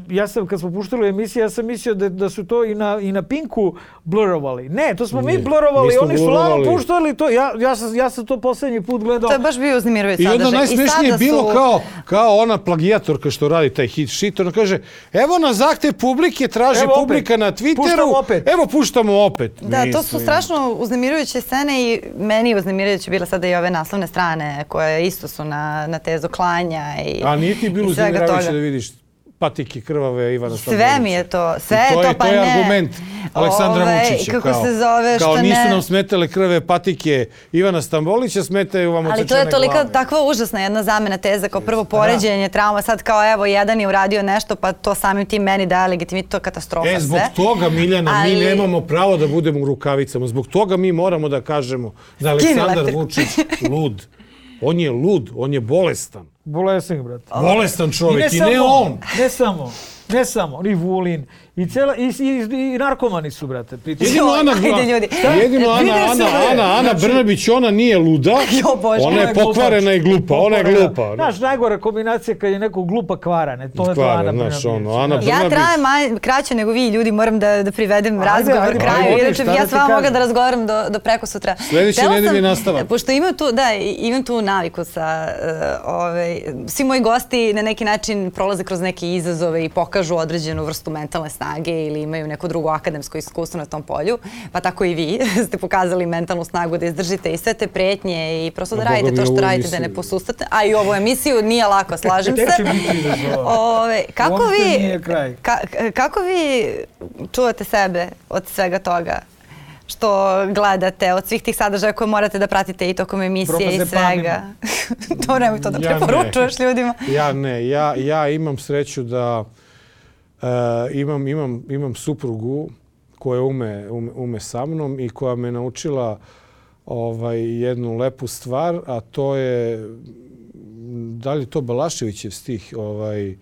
Speaker 2: ja sam, kad smo puštali emisije, ja sam mislio da, da su to i na, i na Pinku blurovali. Ne, to smo ne, mi blurovali, oni su lano puštali to. Ja, ja, sam, ja sam to posljednji put gledao.
Speaker 1: To je baš bio uznemirujući sadržaj.
Speaker 3: I onda najsmešnije je bilo
Speaker 1: su...
Speaker 3: kao, kao ona plagijatorka što radi taj hit shit. Ona kaže, evo na zahtev publike, traži evo publika opet. Na Twitteru. Puštamo opet. Evo puštamo opet.
Speaker 1: Da, mislim. To su strašno uznemirujuće scene i meni je uznemirujuće bila sada i ove naslovne strane koje isto su na, na tezu klanja i
Speaker 3: a nije ti bilo uznemirujuće da vidiš patike krvave Ivana Stambolića?
Speaker 1: Sve mi je to, sve je to,
Speaker 3: je,
Speaker 1: pa
Speaker 3: to
Speaker 1: ne.
Speaker 3: To je argument Aleksandra Ove, Vučića.
Speaker 1: Kako
Speaker 3: kao,
Speaker 1: se zove,
Speaker 3: kao
Speaker 1: što
Speaker 3: nisu
Speaker 1: ne...
Speaker 3: nam smetale krve patike Ivana Stambolića, smetaju vam odsečene glave.
Speaker 1: Ali to je tolika takva užasna jedna zamena teza, kao prvo poređenje trauma, sad kao evo jedan je uradio nešto pa to samim tim meni daje legitimitet, to je katastrofa sve.
Speaker 3: E, zbog toga, Miljana, ali... mi nemamo pravo da budemo u rukavicama. Zbog toga mi moramo da kažemo da Aleksandar Vučić lud. On je lud, on je bolestan.
Speaker 2: Bolestan, brate.
Speaker 3: Bolestan čovjek i
Speaker 2: ne,
Speaker 3: ne on.
Speaker 2: Ne samo, ne samo, i Vulin, i, cela, i, i, i narkomani su, brate.
Speaker 3: Jedino Ana, jedino Ana, Ana, Ana, Ana Brnabić, ona nije luda,
Speaker 1: jo, Bože,
Speaker 3: ona je pokvarena i glupa, ona je glupa.
Speaker 2: Znaš, najgora kombinacija kad je neko glupa kvarane, to je to Ana Brnabić.
Speaker 3: Ono, Ana Brnabić.
Speaker 1: Ja trajem maj, kraće nego vi ljudi, moram da, da privedem ajde, razgovor ajde, kraju, inače ja s vama mogu da razgovaram do, do preko sutra.
Speaker 3: Sljedeće nedelje nastavak.
Speaker 1: Pošto imam tu, da, imam tu naviku sa, uh, ove, svi moji gosti na neki način prolaze kroz neke izazove i pokažu određenu vrstu mentalne snage ili imaju neko drugo akademsko iskustvo na tom polju, pa tako i vi ste pokazali mentalnu snagu da izdržite i sve te pretnje i prosto da radite to što radite, da ne posustate. A i ovu emisiju nije lako, slažem se. Ove, kako, vi, ka, kako vi čuvate sebe od svega toga što gledate, od svih tih sadržaja koje morate da pratite i tokom emisije i svega? To nemoj to da ja preporučuješ ne. ljudima.
Speaker 3: Ja ne, ja, ja imam sreću da Uh, imam, imam, imam suprugu koja ume, ume, ume sa mnom i koja me naučila ovaj, jednu lepu stvar, a to je, da li je to Balaševićev stih, ovaj,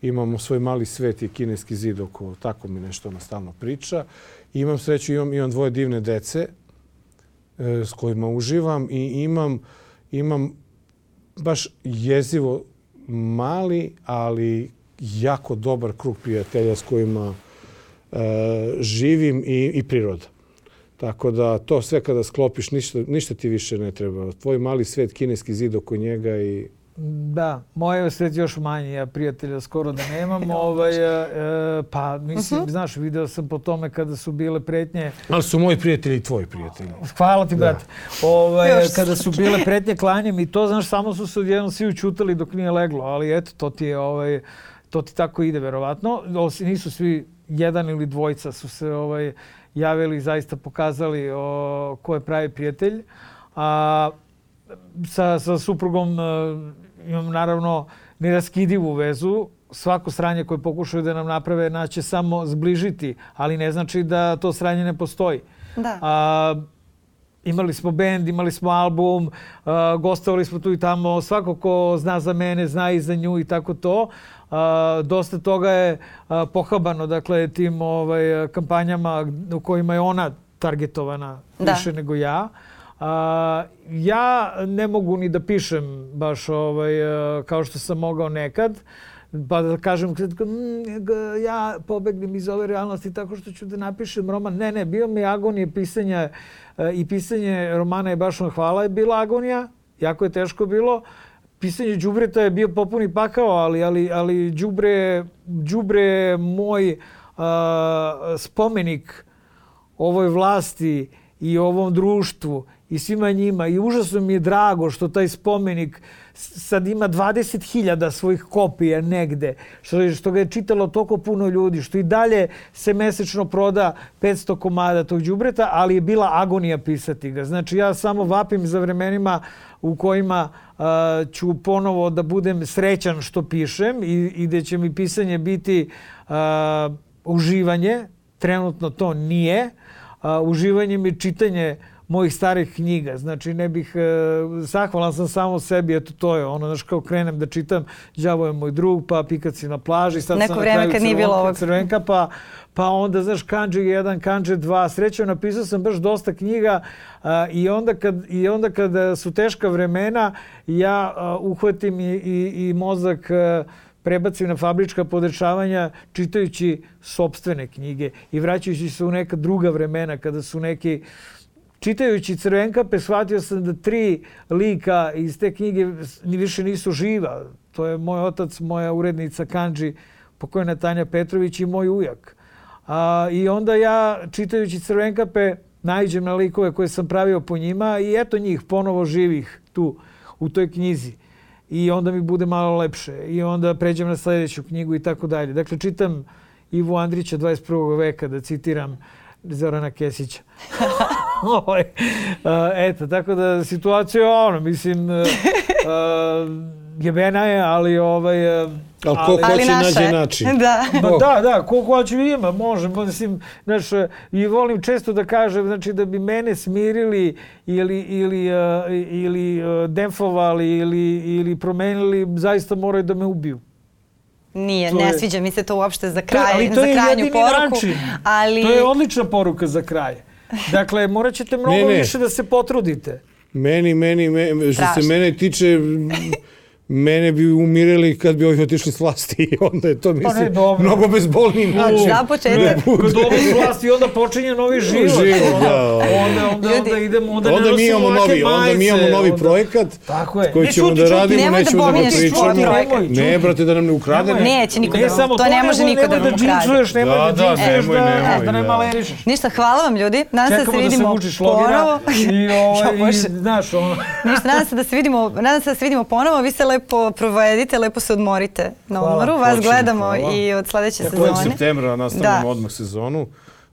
Speaker 3: imamo svoj mali svet i kineski zid oko, tako mi nešto ona stalno priča. I imam sreću, imam, imam dvoje divne dece e, s kojima uživam i imam, imam baš jezivo mali, ali jako dobar krug prijatelja s kojima e, živim i, i priroda. Tako da to sve kada sklopiš, ništa, ništa ti više ne treba. Tvoj mali svet, kineski zid oko njega i...
Speaker 2: Da, moj je svet još manji, ja prijatelja skoro da nemam. ovaj, e, pa mislim, uh-huh. znaš, video sam po tome kada su bile pretnje...
Speaker 3: Ali su moji prijatelji i tvoji prijatelji.
Speaker 2: Hvala ti, brate. Ovaj, kada su bile pretnje klanjem i to, znaš, samo su se odjednom svi učutali dok nije leglo, ali eto, to ti je... Ovaj, to ti tako ide, verovatno. Nisu svi, jedan ili dvojica su se ovaj, javili i zaista pokazali o, ko je pravi prijatelj. A, sa, sa suprugom a, imam naravno neraskidivu vezu. Svako sranje koje pokušaju da nam naprave naće samo zbližiti, ali ne znači da to sranje ne postoji.
Speaker 1: Da.
Speaker 2: A, imali smo bend, imali smo album, uh, gostovali smo tu i tamo. Svako ko zna za mene, zna i za nju i tako to. Uh, dosta toga je uh, pohabano, dakle, tim ovaj, kampanjama u kojima je ona targetovana da. više nego ja. Uh, ja ne mogu ni da pišem baš ovaj, uh, kao što sam mogao nekad. Pa da kažem, ja pobegnem iz ove realnosti tako što ću da napišem roman. Ne, ne, bio mi agonije pisanja i pisanje romana je baš on hvala je bila agonija. Jako je teško bilo. Pisanje đubreta je bio popuni pakao, ali, ali, ali đubre, đubre je moj uh, spomenik ovoj vlasti i ovom društvu i svima njima. I užasno mi je drago što taj spomenik sad ima dvadeset hiljada svojih kopija negde, što, što ga je čitalo toliko puno ljudi, što i dalje se mesečno proda petsto komada tog đubreta, ali je bila agonija pisati ga. Znači ja samo vapim za vremenima u kojima uh, ću ponovo da budem srećan što pišem i, i da će mi pisanje biti uh, uživanje. Trenutno to nije. Uh, uživanje mi je čitanje mojih starih knjiga. Znači, ne bih... E, zahvalan sam samo sebi, eto to je ono, znaš, kao krenem da čitam Đavo je moj drug, pa Pikac je na plaži, sad
Speaker 1: neko
Speaker 2: sam
Speaker 1: vreme
Speaker 2: na kraju
Speaker 1: kad nije bilo ovog.
Speaker 2: Crvenka, pa, pa onda, znaš, Kandže jedan, Kandže dva. Srećom, napisao sam baš dosta knjiga a, i, onda kad, i onda kad su teška vremena, ja a, uhvatim i, i, i mozak a, prebacim na fabrička podešavanja čitajući sopstvene knjige i vraćajući se u neka druga vremena kada su neki... Čitajući Crvenkape shvatio sam da tri lika iz te knjige ni više nisu živa. To je moj otac, moja urednica Kandži, pokojna Tanja Petrović i moj ujak. A, I onda ja čitajući Crvenkape naiđem na likove koje sam pravio po njima i eto njih ponovo živih tu u toj knjizi. I onda mi bude malo lepše. I onda pređem na sljedeću knjigu i tako dalje. Dakle, čitam Ivu Andrića dvadeset prvog veka, da citiram Zorana Kesića. Eto, tako da situacija je ono, mislim, jebena je, ali ovaj...
Speaker 3: Ali ko hoće nađe način.
Speaker 1: Da.
Speaker 2: Da, da, ko hoće ima, može. Mislim, znaš, i volim često da kažem, znači, da bi mene smirili ili, ili, ili defovali ili, ili promenili, zaista moraju da me ubiju.
Speaker 1: Nije,
Speaker 2: to
Speaker 1: ne
Speaker 2: je,
Speaker 1: sviđa mi se to uopšte za kraj,
Speaker 2: ali to
Speaker 1: za
Speaker 2: je
Speaker 1: krajnju poruku.
Speaker 2: Način.
Speaker 1: Ali...
Speaker 2: To je odlična poruka za kraj. Dakle, morat ćete mnogo ne, ne. više da se potrudite.
Speaker 3: Meni, meni, me, što se mene tiče, mene bi umirili kad bi ovi otišli s vlasti. Onda je to, mislim, pa ne, mnogo bezbolniji način.
Speaker 1: Za početak.
Speaker 2: Kad ovi s vlasti, onda počinje novi život.
Speaker 3: Život, da.
Speaker 2: Onda, onda, onda idemo, onda,
Speaker 3: onda mi imamo novi, onda mi imamo novi
Speaker 2: onda...
Speaker 3: projekat
Speaker 2: Tako je.
Speaker 3: koji ćemo
Speaker 2: čuti,
Speaker 3: da radimo,
Speaker 1: nemoj
Speaker 3: nećemo da,
Speaker 1: da
Speaker 3: ga pričamo.
Speaker 1: projekat.
Speaker 3: Ne, brate, da nam ne ukrade.
Speaker 1: Neće niko
Speaker 2: ne,
Speaker 1: da vam, to, to ne može niko da vam ukrade.
Speaker 2: Nemoj da džinčuješ,
Speaker 3: nemoj,
Speaker 2: da,
Speaker 3: nemoj,
Speaker 2: da ne malerišeš.
Speaker 1: Ništa, hvala vam ljudi. Nadam se da se vidimo
Speaker 2: ponovo.
Speaker 1: Ništa, nadam se da se vidimo, nadam se da se vidimo ponovo. Vi se lepo provedite, lepo se odmorite na odmoru. Vas gledamo hvala. I od sledeće sezone.
Speaker 3: Od septembra nastavljamo odmah sezonu.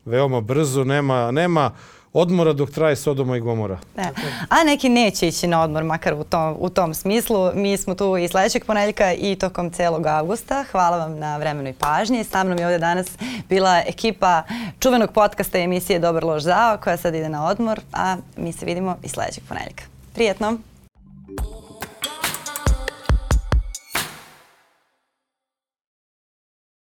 Speaker 3: Veoma brzo, nema, nema odmora dok traje Sodoma i Gomora.
Speaker 1: Ne. A neki neće ići na odmor, makar u tom, u tom smislu. Mi smo tu i sledećeg ponedeljka i tokom celog avgusta. Hvala vam na vremenu i pažnji. Sa mnom je ovdje danas bila ekipa čuvenog podcasta i emisije Dobar loš zao, koja sad ide na odmor, a mi se vidimo i sledećeg ponedeljka. Prijetno!